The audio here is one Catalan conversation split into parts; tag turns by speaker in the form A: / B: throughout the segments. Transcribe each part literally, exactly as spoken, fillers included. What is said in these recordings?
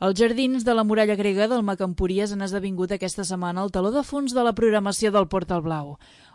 A: Els jardins de la muralla grega del Mac Empúries han esdevingut aquesta setmana el teló de fons de la programació del Portal Blau.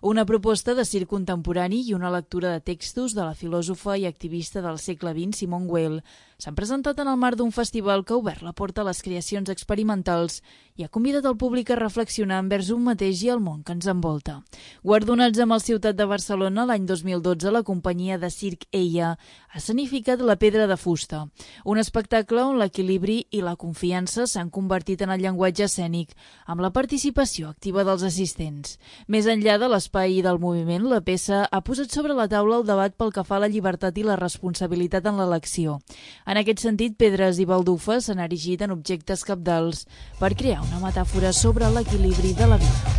A: Una proposta de circ contemporani i una lectura de textos de la filòsofa i activista del segle vint, Simone Weil, s'han presentat en el marc d'un festival que ha obert la porta a les creacions experimentals i ha convidat el públic a reflexionar envers un mateix i el món que ens envolta. Guardonats amb el Ciutat de Barcelona l'any dos mil dotze, la companyia de circ Eia ha escenificat La pedra de fusta, un espectacle on l'equilibri i la confiança s'han convertit en el llenguatge escènic, amb la participació activa dels assistents. Més enllà de l'espai i del moviment, la peça ha posat sobre la taula el debat pel que fa a la llibertat i la responsabilitat en l'elecció. En aquest sentit, pedres i baldufes s'han erigit en objectes cabdals per crear una metàfora sobre l'equilibri de la vida.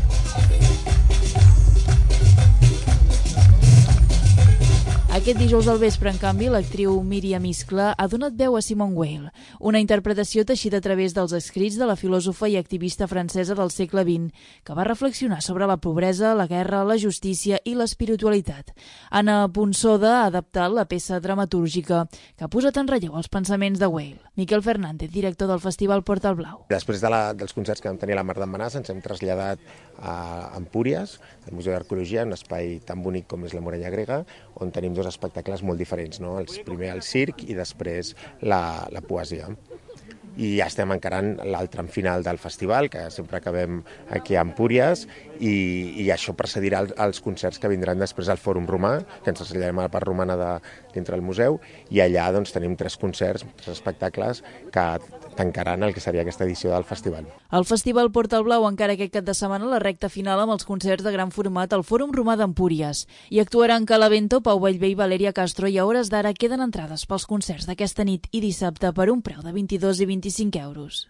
A: Aquest dijous al vespre, en canvi, l'actriu Míriam Iscla ha donat veu a Simone Weil, una interpretació teixida a través dels escrits de la filòsofa i activista francesa del segle vint, que va reflexionar sobre la pobresa, la guerra, la justícia i l'espiritualitat. Anna Ponsoda ha adaptat la peça dramatúrgica que ha posat en relleu els pensaments de Weil. Miquel Fernández, director del Festival Portal Blau.
B: Després de la, dels concerts que vam tenir a la Mar d'en Benàs, ens hem traslladat a Empúries, al Museu d'Arqueologia, un espai tan bonic com és la muralla grega, on tenim dos espectacles molt diferents, no? El primer el circ i després la, la poesia. I ja estem encarant l'altre final del festival, que sempre acabem aquí a Empúries, i, i això precedirà els, els concerts que vindran després al Fòrum Romà, que ens traslladarem a la part romana de, dintre del museu, i allà doncs, tenim tres concerts, tres espectacles que tancaran el que seria aquesta edició del festival.
A: El Festival Portal Blau encara aquest cap de setmana la recta final amb els concerts de gran format al Fòrum Romà d'Empúries. Hi actuaran Calavento, Pau Vallvé i Valeria Castro, i a hores d'ara queden entrades pels concerts d'aquesta nit i dissabte per un preu de vint-i-dos i vint-i-cinc euros.